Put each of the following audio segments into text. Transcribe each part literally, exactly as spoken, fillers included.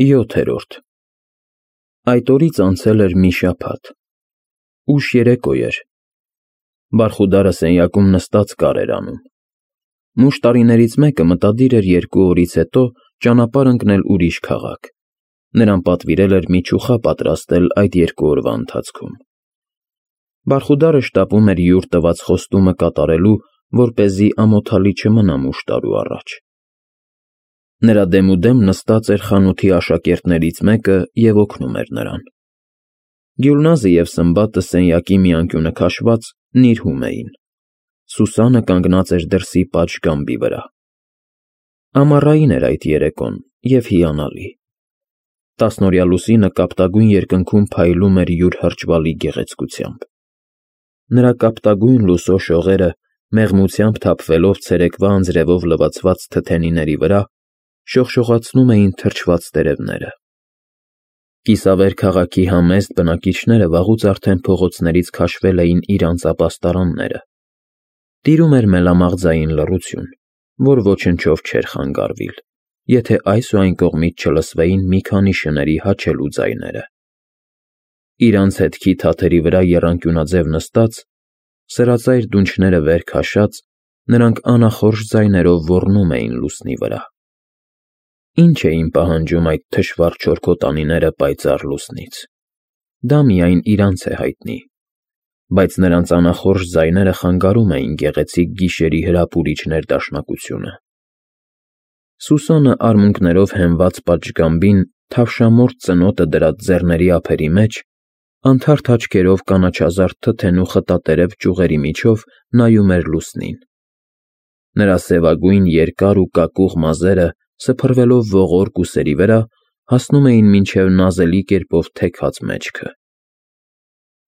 ՅՈԹԵՐՈՐԴ Այդ օրից անցել էր մի շաբաթ, ուշ երեկո էր, Բարխուդարը սենյակում նստած կար էր անում, մուշտարիներից մեկը մտադիր էր երկու օրից հետո ճանապարհ ընկնել ուրիշ քաղաք, նրան պատվիրել էր մի չուխա պատրաստել այդ երկու օրվա ընթացքում, Բարխուդարը շտապում էր յուր տված խոստումը կատարելու, որպեսզի ամոթալի չմնա մուշտարու առաջ, նրա դեմուդեմ նստած էր խանութի աշակերտներից մեկը և օգնում էր նրան, Գյուլնազը և Սմբատը սենյակի մի անկյունը քաշված նիրհում էին, Սուսանը կանգնած էր դրսի պատշգամբի վրա, ամառային էր այդ երեկոն և հիանալի, տասնօրյա լուսինը կապտագույն երկնքում փայլում էր յուր հրճվալի գեղեցկությամբ, նրա կապտագույն լուսո շողերը մեղմությամբ թափվելով ցերեկվա անձրևով լվացված թթենիների վրա, շողշողացնում էին թրջված տերևները, կիսավեր քաղաքի համեստ բնակիչները վաղուց արդեն փողոցներից քաշվել էին իրանց ապաստարանները, տիրում էր մելամաղձային լռություն, որ ոչնչով չէր խանգարվիլ, եթե այս ու այն կողմից չլսվեին մի քանի շների հաչելու ձայները, իրանց հետքի թաթերի վրա եռանկյունաձև նստած, սրածայր դունչները վեր քաշած, նրանք անախորժ ձայներով ոռնում էին լուսնի վրա, ինչ էին պահանջում այդ թշվառ չորքոտանիները պայծառ լուսնից, դա միայն իրանց է հայտնի, բայց նրանց անախորժ ձայները խանգարում էին գեղեցիկ գիշերի հրապուրիչ ներդաշնակությունը, Սուսանը արմունկներով հենված պատշգամբին թավշամորթ ծնոտը դրած ձեռների ափերի մեջ, անթարթ աչքերով կանաչազարդ թթենու խտատերև ճյուղերի միջով նայում էր լուսնին, նրա սևագույն երկար ու կակուղ մազերը սփռվելով ողորկ ուսերի վրա, հասնում էին մինչև նազելի կերպով թեքած մեջքը,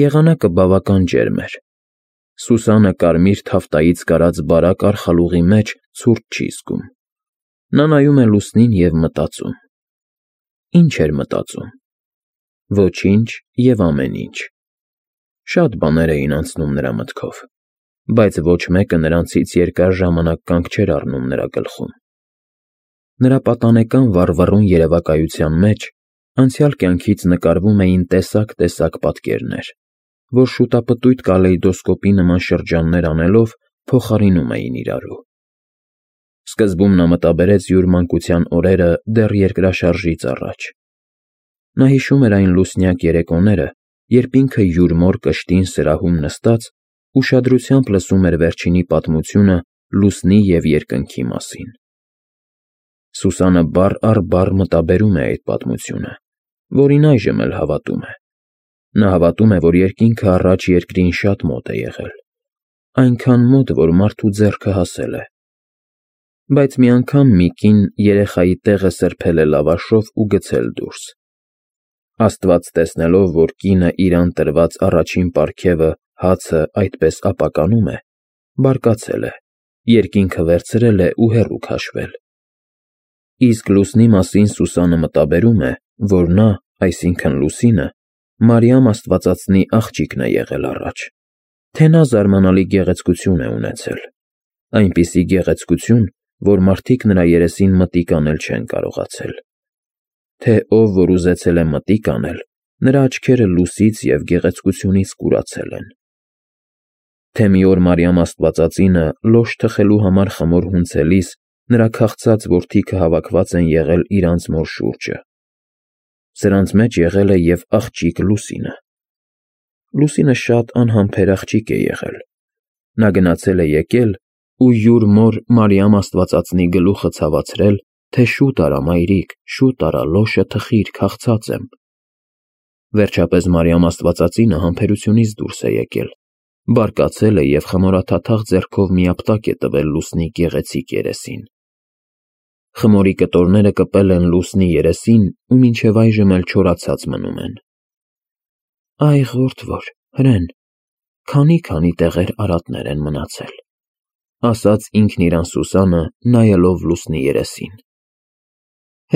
եղանակը բավական ջերմ էր, Սուսանը կարմիր թավտայից կարած բարակ արխալուղի մեջ ցուրտ չի զգում, նա նայում է լուսնին և մտածում, ինչ էր մտածում, ոչինչ և ամեն ինչ, շատ բաներ էին անցնում նրա մտքով, բայց ոչ մեկը նրանցից երկար ժամանակ կանգ չէր առնում նրա գլխում, նրա պատանեկան վառվռուն երևակայության մեջ անցյալ կյանքից նկարվում էին տեսակ-տեսակ պատկերներ, որ շուտապտույտ կալեյդոսկոպի նման շրջաններ անելով փոխարինում էին իրարու, սկզբում նա մտաբերեց յուր մանկության օրերը դեռ երկրաշարժից առաջ, նա հիշում էր այն լուսնյակ երեկոները, երբ ինքը յուր մոր կշտին սրահում նստած, ուշադրությամբ լսում էր վերջինի պատմությունը լուսնի և երկնքի մասին, Սուսանը բառ առ բառ մտաբերում է այդ պատմությունը, որին այժմ էլ հավատում է, նա հավատում է, որ երկինքը առաջ երկրին շատ մոտ է եղել, այնքան մոտ, որ մարդու ձեռքը հասել է, բայց մի անգամ մի կին երեխայի տեղը սրբել է լավաշով ու գցել դուրս, Աստված տեսնելով, որ կինը իրան տրված առաջին պարգևը, հացը այդպես ապականում է, բարկացել է, երկինքը վերցրել է ու հեռու քաշվել, իսկ լուսնի մասին Սուսանը մտաբերում է, որ նա, այսինքն լուսինը, Մարիամ աստվածածնի աղջիկն է եղել առաջ, թե նա զարմանալի գեղեցկություն է ունեցել, այնպիսի գեղեցկություն, որ մարդիկ նրա երեսին մտիկ անել չեն կարողացել, թե ով որ ուզեցել է մտիկ անել, նրա աչքերը լույսից և գեղեցկությունից կուրացել են, թե մի օր Մարիամ աստվածածինը լոշ թխելու համար խմոր հունցելիս նրա քաղցած որդիքը հավաքված են եղել իրանց մոր շուրջը, սրանց մեջ եղել է և աղջիկ Լուսինը, Լուսինը շատ անհամբեր աղջիկ է եղել, նա գնացել է եկել ու յուր մոր Մարիամ աստվածածնի գլուխը ցավացրել, թե շուտ արա, մայրիկ, շուտ արա, լոշը թխիր, քաղցած եմ, վերջապես Մարիամ աստվածածինը համբերությունից դուրս է եկել, բարկացել է և խմորաթաթախ ձեռքով մի ապտակ է տվել լուսնի գեղեցիկ երեսին, խմորի կտորները կպել են լուսնի երեսին ու մինչև այժմ էլ չորացած մնում են, այ ղորթվոր, հրեն, քանի՜֊քանի տեղեր արատներ են մնացել, ասաց ինքն իրան Սուսանը, նայելով լուսնի երեսին,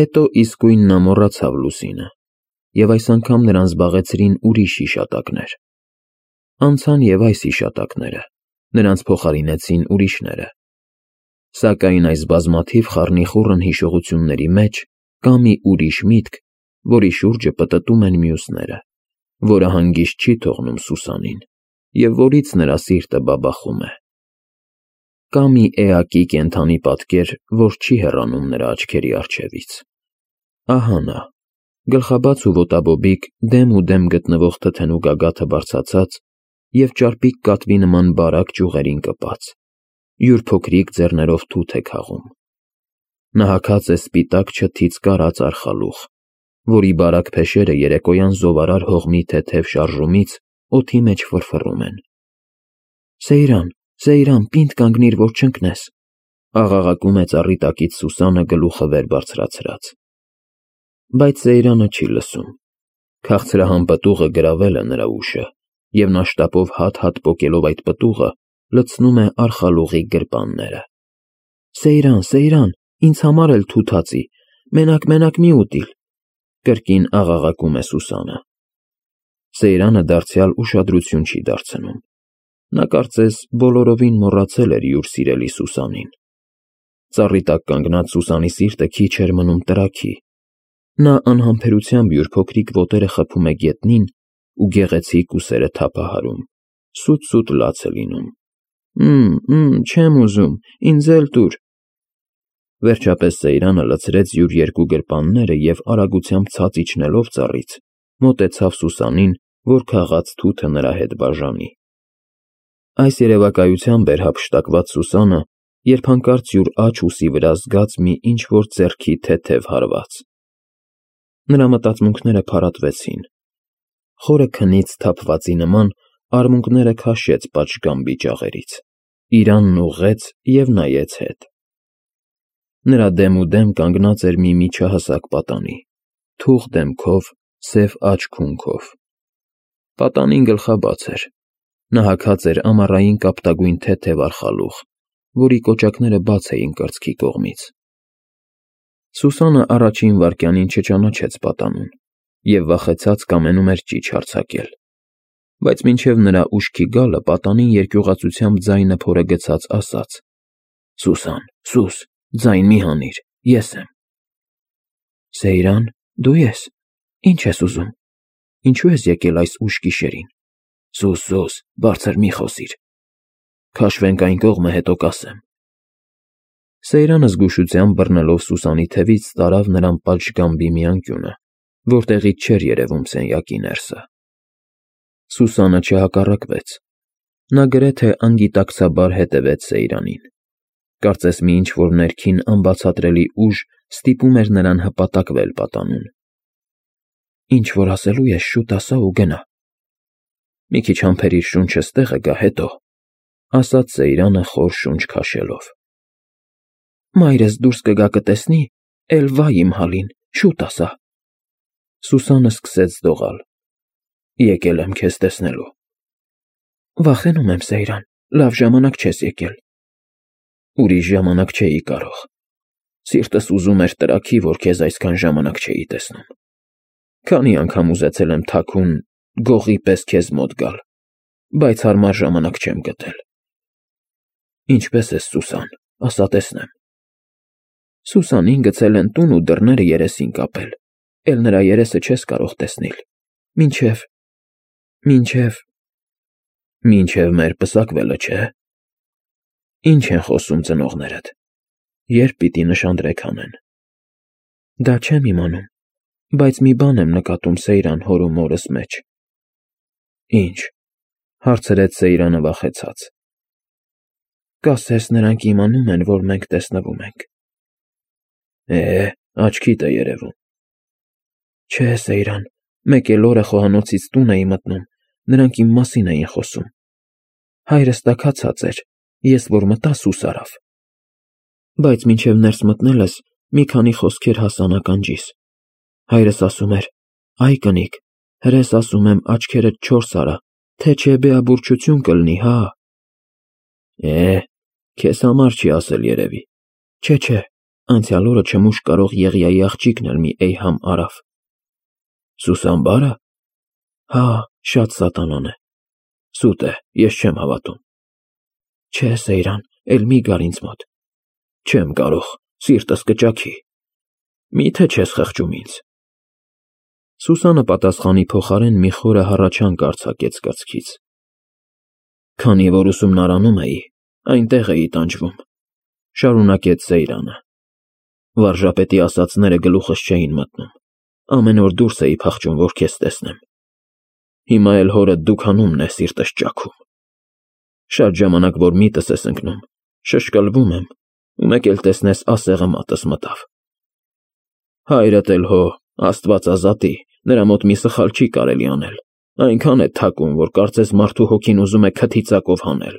հետո իսկույն նա մոռացավ լուսինը, և այս անգամ նրան զբաղեցրին ուրիշ հիշատակներ, անցան և այս հիշատակները, նրանց փոխարինեցին ուրիշները, սակայն այս բազմաթիվ խառնիխուռն հիշողությունների մեջ կա մի ուրիշ միտք, որի շուրջը պտտում են մյուսները, որը հանգիստ չի թողնում Սուսանին և որից նրա սիրտը բաբախում է։ Կա մի էակի կենդանի պատկեր, որ չի հեռանում նրա աչքերի առջևից։ Ահա նա, գլխաբաց ու ոտաբոբիկ, դեմ ու դեմ գտնվող թթենու գագաթը բարձրացած և ճարպիկ կատվի նման բարակ ճյուղերին կպած, յուր փոքրիկ ձեռներով թութ է քաղում։ Նա հագած է սպիտակ չթից կարած արխալուղ, որի բարակ փեշերը երեկոյան զովարար հողմի թեթև շարժումից օդի մեջ ֆռֆռում են։ «Սեյրան, Սեյրան, պինդ կանգնիր, որ չընկնես», աղաղակում է ծառի տակից Սուսանը գլուխը վեր բարձրացրած։ Բայց Սեյրանը չի լսում։ Քաղցրահամ պտուղը գրավել է նրա ուշը, և նա շտապով հատ-հատ պոկելով այդ պտուղը, լցնում է արխալուղի գրպանները։ «Սեյրան, Սեյրան, ինձ համար էլ թութ հացի, մենակ֊մենակ մի ուտիլ», կրկին աղաղակում է Սուսանը։ Սեյրանը դարձյալ ուշադրություն չի դարձնում։ Նա կարծես բոլորովին մոռացել էր յուր սիրելի Սուսանին։ Ծառի տակ կանգնած Սուսանի սիրտը քիչ էր մնում տրաքի։ Նա անհամբերությամբ յուր փոքրիկ ոտերը խփում է գետնին ու գեղեցիկ ուսերը թափահարում, սուտ֊սուտ լաց է լինում։ «Մմ, մմ, չեմ ուզում, ինձ էլ տուր»։ Վերջապես Սեյրանը լցրեց յուր երկու գրպանները և արագությամբ ցած իջնելով ծառից, մոտեցավ Սուսանին, որ քաղած թութը նրա հետ բաժանի։ Այս երևակայությամբ էր հափշտակված Սուսանը, երբ հանկարծ յուր աջ ուսի վրա զգաց մի ինչ֊որ ձեռքի թեթև հարված։ Նրա մտածմունքները փարատվեցին։ Խորը քնից թափվածի նման արմունկները քաշեց պատշգամբի ճաղերից, իրանն ուղղեց և նայեց հետ։ Նրա դեմուդեմ կանգնած էր մի միջահասակ պատանի, թուխ դեմքով, սև աջ քունքով։ Պատանին գլխաբաց էր։ Նա հագած էր ամառային կապտագույն թեթև արխալուղ, որի կոճակները բաց էին կրծքի կողմից։ Սուսանը առաջին վայրկյանին չճանաչեց պատանուն և վախեցած կամենում էր ճիչ հարձակել։ Բայց մինչև նրա ուշքի գալը պատանին երկյուղածությամբ ձայնը փորը գցած ասաց. «Սուսան, Սուս, ձայն մի հանիր, ես եմ»։ «Սեյրան, դու ես, ի՞նչ ես ուզում, ինչո՞ւ ես եկել այս ուշ գիշերին»։ «Սուս, Սուս, բարձր մի խոսիր, քաշվենք այն կողմը, հետո կասեմ»։ Սեյրանը զգուշությամբ բռնելով Սուսանի թևից տարավ նրան պատշգամբի մի անկյունը, որտեղից չէր երևում սենյակի ներսը։ Սուսանը չհակառակվեց։ Նա գրեթե անգիտակցաբար հետևեց Սեյրանին։ Կարծես մի ինչ֊որ ներքին անբացատրելի ուժ ստիպում էր նրան հպատակվել պատանուն։ «Ինչ որ ասելու ես, շուտ ասա ու գնա»։ «Մի քիչ համբերիր, շունչս տեղը գա, հետո», ասաց Սեյրանը խոր շունչ քաշելով։ «Մայրս դուրս կգա կտեսնի, էլ վա իմ հալին, շուտ ասա»։ Սուսանը սկսեց դողալ։ «Եկել եմ քեզ տեսնելու»։ «Վախենում եմ, Սեյրան, լավ ժամանակ չես եկել»։ «Ուրիշ ժամանակ չէի կարող։ Սիրտս ուզում էր տրաքի, որ քեզ այսքան ժամանակ չէի տեսնում։ Քանի անգամ ուզեցել եմ թաքուն, գողի պես քեզ մոտ գալ, բայց հարմար ժամանակ չեմ գտել»։ «Ինչպե՞ս ես, Սուսան, ասա տեսնեմ»։ «Սուսանին գցել են տուն ու դռները երեսին կապել, էլ նրա երեսը չես կարող տեսնել, մինչև… մինչև… մինչև մեր պսակվելը, չէ՞։ Ինչ են խոսում ծնողներդ, երբ պիտի նշանдрեք անեն»։ «Դա չեմ իմանում, բայց մի բան եմ նկատում Սեյրան հոր ու մորս մեջ»։ «Ի՞նչ», հարցրեց Սեյրանը վախեցած։ «Կասես նրանք իմանում են, որ մենք տեսնվում ենք»։ «Է, աչքիդ է երևում»։ «Չէ, Սեյրան, մեկ էլ օրը խոհանոցից տուն էի մտնում, նրանք իմ մասին էին խոսում։ Հայրս տաքացած էր, ես որ մտա սուս արավ։ Բայց մինչև ներս մտնելս մի քանի խոսքեր հասան ականջիս։ Հայրս ասում էր. «Այ կնիկ, հրես ասում եմ աչքերդ չորս արա, թե չէ բեաբուրչություն կլինի, հա»։ «Է, քեզ համար չի ասել երևի»։ «Չէ, չէ, անցյալ օրը չմուշ կարող Եղիայի աղջիկն էլ մի էյհամ արավ»։ «Սուսան֊բա՞րը»։ «Հա, շատ սատանան է։ Սուտ է, ես չեմ հավատում»։ «Չէ, Սեյրան, էլ մի գար ինձ մոտ»։ «Չեմ կարող, սիրտս կճաքի»։ Մի՞թե չես խղճում ինձ։ Սուսանը պատասխանի փոխարեն մի խորը հառաչանք արձակեց կրծքից։ Քանի որ ուսումնարանում էի, այնտեղ էի տանջվում, շարունակեց Սեյրանը։ Վարժապետի ասածները գլուխս չէին մտնում, ամեն օր դուրս էի փախչում, որ քեզ տեսնեմ։ Հիմա էլ հորդ դուքանումն է սիրտս ճաքում։ Շատ ժամանակ, որ միտս ես ընկնում, շշկլվում եմ, ու մեկ էլ տեսնես ասեղը մատս մտավ։ Հայրդ էլ հո, Աստված ազատի, նրա մոտ մի սխալ չի կարելի անել, այնքան է թակում, որ կարծես մարդու հոգին ուզում է քթի ծակով հանել։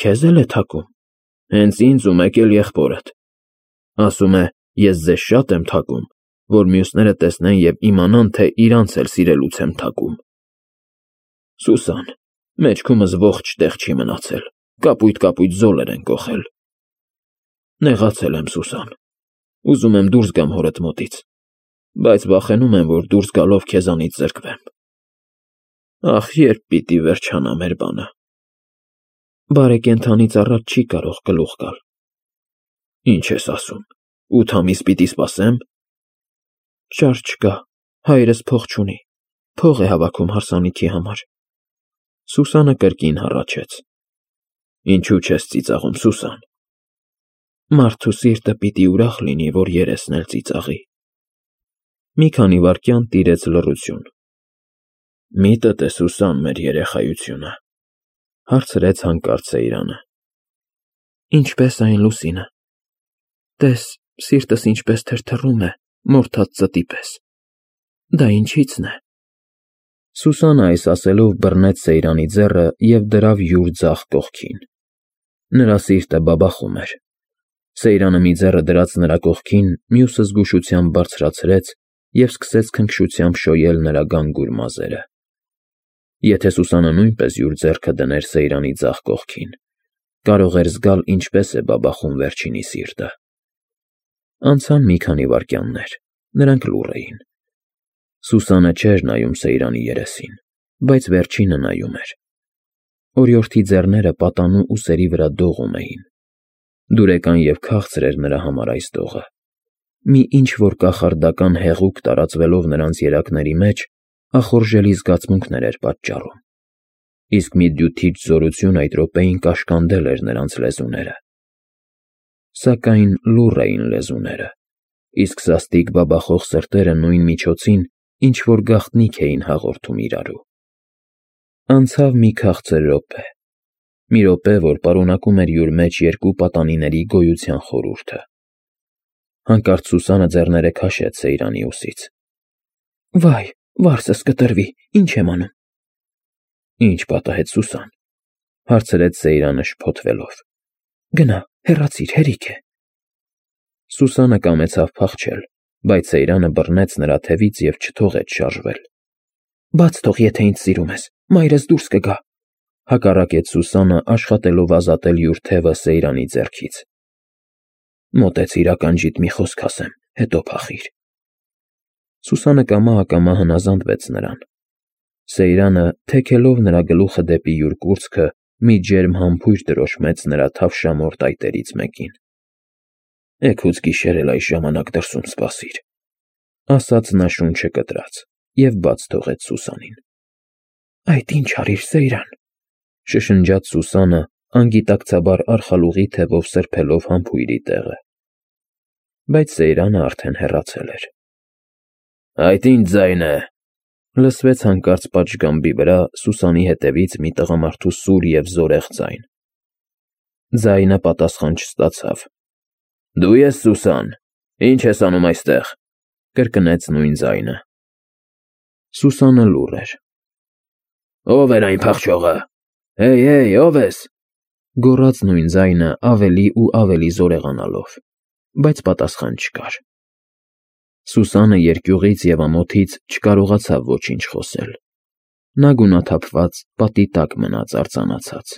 Քեզ էլ է թակում, հենց ինձ ու մեկ էլ եղբորդ։ Ասում է, ես ձեզ շատ եմ թակում, որ մյուսները տեսնեն և իմանան, թե իրանց էլ սիրելուց եմ թակում։ Սուսան, մեջքումս ողջ տեղ չի մնացել, կապույտ-կապույտ զոլեր են կոխել։ Նեղացել եմ, Սուսան, ուզում եմ դուրս գամ հորդ մոտից, բայց վախենում եմ, որ դուրս գալով քեզանից զրկվեմ։ Ախ, երբ պիտի վերջանա մեր բանը։ Բարեկենդանից առաջ չի կարող գլուխ գալ։ Ինչ ես ասում, ութ ամիս պիտի սպասեմ։ Շարժ չկա, հայրս փող չունի, փող է հավաքում հարսանիքի համար։ Սուսանը կրկին հառաչեց։ Ինչու չես ծիծաղում, Սուսան։ Մարդու սիրտը պիտի ուրախ լինի, որ երեսն էլ ծիծաղի։ Մի քանի վայրկյան տիրեց լռություն։ Միտդ է, Սուսան, մեր երեխայությունը, հարցրեց հանկարծ Սեյրանը։ Ինչպես այն լուսինը։ Տես, սիրտս ինչպես թրթռում է, մորթած ծտի պես։ Դա ինչի՞ցն է։ Սուսանը այս ասելով բռնեց Սեյրանի ձեռը և դրավ յուր ձախ կողքին։ Նրա սիրտը բաբախում էր։ Սեյրանը մի ձեռը դրած նրա կողքին, մյուսը զգուշությամբ բարձրացրեց և սկսեց քնքշությամբ շոյել նրա գանգուր մազերը։ Եթե Սուսանը նույնպես յուր ձեռքը դներ Սեյրանի ձախ կողքին, կարող էր զգալ ինչպես է բաբախում վերջինի սիրտը։ Անցան մի քանի վայրկյաններ, նրանք լուռ էին։ Սուսանը չէր նայում Սեյրանի երեսին, բայց վերջինը նայում էր։ Օրիորդի ձեռները պատանու ուսերի վրա դողում էին։ Դուրեկան և քաղցր էր նրա համար այս դողը։ Մի ինչ-որ կախարդական հեղուկ տարածվելով նրանց երակների մեջ, ախորժելի զգացմունքներ էր պատճառում։ Իսկ մի դյութիչ զորություն այդ րոպեին կաշկանդել էր նրանց լեզուները։ Սակայն լուռ էին լեզուները, իսկ սաստիկ բաբախող սրտերը նույն միջոցին ինչ-որ գաղտնիք էին հաղորդում իրարու։ Անցավ մի քաղցր րոպե, մի րոպե, որ պարունակում էր յուր մեջ երկու պատանիների գոյության խորհուրդը։ Հանկարծ Սուսանը ձեռները քաշեց Սեյրանի ուսից։ Վայ, վարձս կտրվի, ինչ եմ անում։ Ինչ պատահեց, Սուսան, հարցրեց Սեյրանը շփոթվելով։ Գնա, հեռացիր, հերիք է։ Սուսանը կամեցավ փախչել, բայց Սեյրանը բռնեց նրա թևից և չթողեց շարժվել։ Բաց թող, եթե ինձ սիրում ես, մայրս դուրս կգա, հակառակեց Սուսանը, աշխատելով ազատել յուր թևը Սեյրանի ձեռքից։ Մոտեցիր ականջիդ մի խոսք ասեմ, հետո փախիր։ Սուսանը կամա-ակամա հնազանդվեց նրան։ Սեյրանը, թեքելով նրա գլուխը դեպի յուր կուրծքը, մի ջերմ համբույր դրոշմեց նրա թավշամոր տայտերից մեկին։ Էգուց գիշեր էլ այս ժամանակ դրսում սպասիր, ասաց նա շունչը կտրած և բաց թողեց Սուսանին։ Այդ ինչ արիր, Սեյրան, շշնջաց Սուսանը, անգիտակցաբար արխալուղի թևով սրբելով համբույրի տեղը։ Բայց Սեյրանը արդեն հեռացել էր։ Այդ ինչ ձայն է, լսվեց հանկարծ պատշգամբի վրա Սուսանի հետևից մի տղամարդու սուր և զորեղ ձայն։ Ձայնը պատասխան չստացավ։ Դու ես, Սուսան, ինչ ես անում այստեղ, կրկնեց նույն ձայնը։ Սուսանը լուռ էր։ Ո՞վ էր այն փախչողը։ Հեյ, հեյ, ո՞վ ես, գոռաց նույն ձայնը ավելի ու ավելի զորեղանալով, բայց պատասխան չկար։ Սուսանը երկյուղից և ամոթից չկարողացավ ոչինչ խոսել։ Նա գունաթափված պատի տակ մնաց արձանացած։